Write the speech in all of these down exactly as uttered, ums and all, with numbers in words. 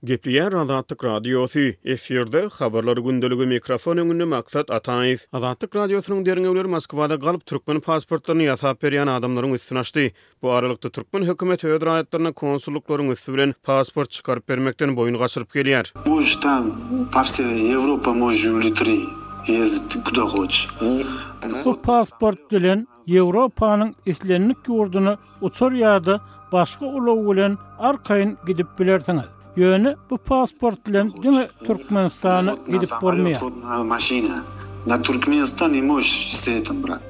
Gepleýär Azatlyk Radiosy, efirde Habarlar gündeligi, mikrofon öňünde Maksat Ataýew. Azatlyk Radiosynyň derňewleri Moskwada galp türkmen pasportlaryny ýasap berýän adamlaryň üstüni açdy. Bu aralykda, türkmen hökümeti öz raýatlaryna konsullyklaryň üsti bilen pasport çykaryp bermekden boýun gaçyryp gelýär. Можешь там по всей Европе можешь улететь, ездить куда хочешь. Bu pasport bilen Ýewropanyň islendik ýurduna uçar ýa-da başga ulag bilen arkaýyn gidip bilersiňiz. Ýöne bu pasport bilen diňe Türkmenistana gidip bolmaýar. На машина. На Туркменистан не можешь с этим брать.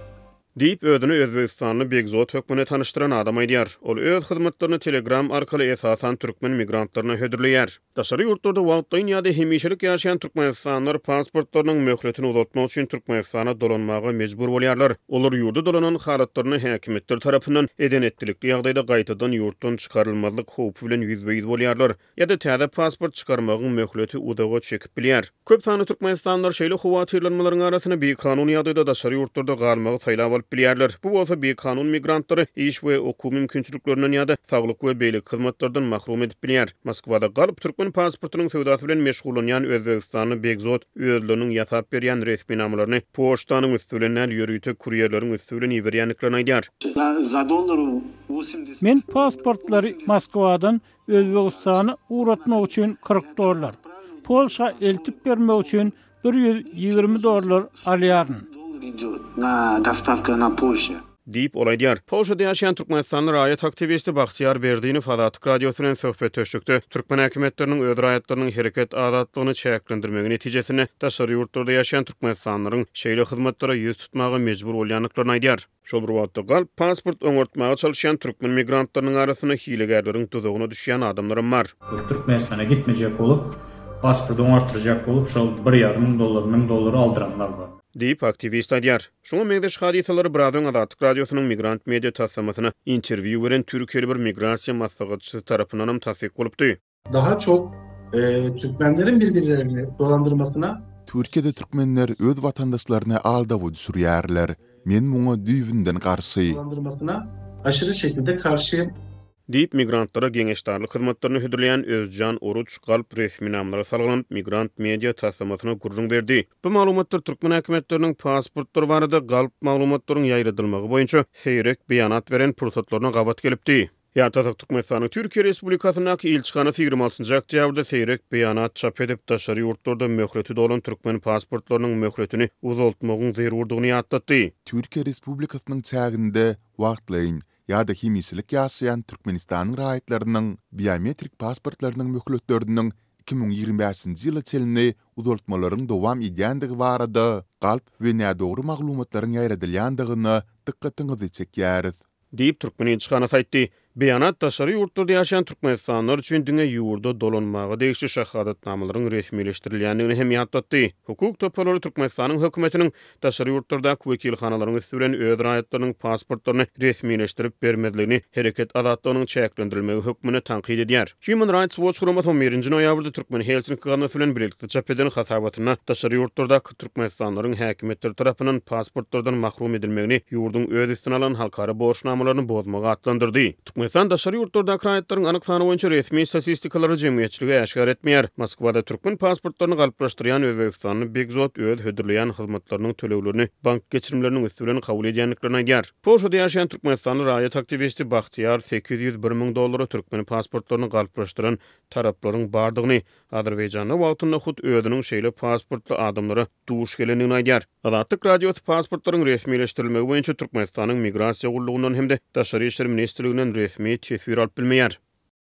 Diýip, özüni özbegistanly Begzod hökmünde tanyşdyran adam aýdýar. Ol öz hyzmatlaryny Telegram arkaly esasan türkmen migrantlaryna hödürleýär. Daşary ýurtlarda wagtlaýyn ýa-da hemişelik ýaşaýan türkmenistanlylar pasportlarynyň möhletini uzaltmak üçin Türkmenistana dolanmaga mejbur bolýarlar. Olar ýurda dolanan halatlaryny häkimiýetler tarapyndan eden-etdilikli ýagdaýda gaýtadan ýurtdan çykarylmazlyk howpy bilen ýüzbe-ýüz bolýarlar ýa-da täze pasport çykarmagyň möhleti uzaga çekip bilýär. Köp sanly türkmenistanlylar şeýle howatyrlanmalaryň arasynda bikanun ýagdaýda daşary ýurtlarda galmagy saýlap alyp bilýärler. Bu bolsa bikanun migrantlary iş we okuw mümkinçiliklerinden ýa-da saglyk we beýleki hyzmatlardan mahrum edip bilýär. Moskwada galp türkmen pasportynyň söwdasy bilen meşgullanýan özbegistanly Begzod özleriniň ýasap berýän resminamalaryny poçtanyň üsti bilen däl, ýörite kurýerleriň üsti bilen iberýändiklerini aýdýar. За, за доллар восемьдесят. Men pasportlary Moskwadan Özbegistana ugratmak üçin kyrk dollar, Polşa eltip bermek üçin ýüz ýigrimi dollar alýaryn. Доллар идет на доставка на Польшу. Diýip, ol aýdýar. Polşada ýaşaýan türkmenistanly raýat aktiwisti Bagtyýar Berdinow Azatlyk Radiosy bilen söhbetdeşlikde türkmen häkimiýetleriniň öz raýatlarynyň hereket azatlygyny çäklendirmegi netijesinde daşary ýurtlarda ýaşaýan türkmenistanlylaryň şeýle hyzmatlara ýüz tutmaga mejbur bolýandyklaryny aýdýar. Şol bir wagtda galp pasport oňartmaga çalışýan türkmen migrantlarynyň arasynda hilegärleriň duzagyna düşýän adamlaram bar. Türkmenistana gitmejek bolup, pasport oňartdyrjak bolup, şol bir ýarym müň dollar, müň dollar aldyranlar bar. Diýip, aktiwist aýdýar. Şuňa meňzeş hadysalary biraz öň Azatlyk Radiosynyň Migrant Media taslamasyna interwýu beren Türkiýeli bir migrasiýa maslahatçysy tarapyndanam tassyk bolupdy. Daha çok e, Türkmenlerin birbirlerini dolandırmasına Türkiýede türkmenler öz watandaşlaryny aldawa düşürýärler. Men muňa düýbünden garşy. Dolandırmasına aşırı şekilde karşıyım. Diýip, migrantlara geňeşdarlyk hyzmatlaryny hödürleýän Özjan Oruç galp resminamalara salgylanyp Migrant Media taslamasyna gürrüň berdi. Bu maglumatlar türkmen häkimiýetleriniň pasportlary barada galp maglumatlaryň ýaýradylmagy boýunça seýrek beýanat beren pursatlaryna gabat gelipdi. Ýatlasak, Türkmenistanyň Türkiýe Respublikasyndaky ilçihanasy ýigrimi altynjy oktýabrda seýrek beýanat çap edip, daşary ýurtlarda möhleti dolan türkmen pasportlarynyň möhletini uzaltmagyň zerurdygyny ýatlatdy. Türkiýe Respublikasynyň çäginde wagtlaýyn ýa-da hemişelik ýaşaýan Türkmenistanyň raýatlarynyň biometrik pasportlarynyň möhletleriniň iki müň ýigrimi bäşinji ýyla çenli uzaltmalaryň dowam edýändigi barada galp we nädogry maglumatlaryň ýaýradylýandygyna dykgatyňyzy çekýäris. Diýip, türkmen ilçihanasy aýtdy. Beýanat daşary ýurtlarda ýaşaýan türkmenistanlylar üçin diňe ýurda dolanmaga degişli şahadatnamalaryň resmileşdirilýändigini hem ýatlatdy. Hukuk toparlary Türkmenistanyň hökümetiniň daşary ýurtlardaky wekilhanalaryň üsti bilen öz raýatlarynyň pasportlaryny resmileşdirip bermezligini hereket azatlygynyň çäklendirilmegi hökmünde tankyt edýär. Human Rights Watch guramasy on birinji noýabrda Türkmen Helsinki gaznasy bilen birlikde çap eden hasabatynda daşary ýurtlardaky türkmenistanlylaryň häkimiýetler tarapyndan pasportlardan mahrum edilmegini ýurduň öz üstüne alan halkara borçnamalaryny bozmagy atlandyrdy. Türkmenistan daşary ýurtlardaky raýatlaryň anyk sany boýunça resmi statistikalary jemgyýetçilige äşgär etmeýär. Moskwada türkmen pasportlaryny galplaşdyrýan özbegistanly Begzod öz hödürleýän hyzmatlarynyň töleglerini bank geçirimleriniň üsti bilen kabul edýändiklerini aýdýar. Polşada ýaşaýan türkmenistanly raýat aktiwisti Bagtyýar sekiz ýüz bir müň dollara türkmen pasportlaryny galplaşdyran taraplaryň bardygyny, Azerbaýjanda wagtynda hut özüniň şeýle pasportly adamlara duş gelendigini aýdýar. Azatlyk Radiosy pasportlaryň resmileşdirilmegi boýunça Türkmenistanyň Migrasiýa gullugyndan hem-de Daşary işler ministrliginden resmi teswir alyp bilmeýär.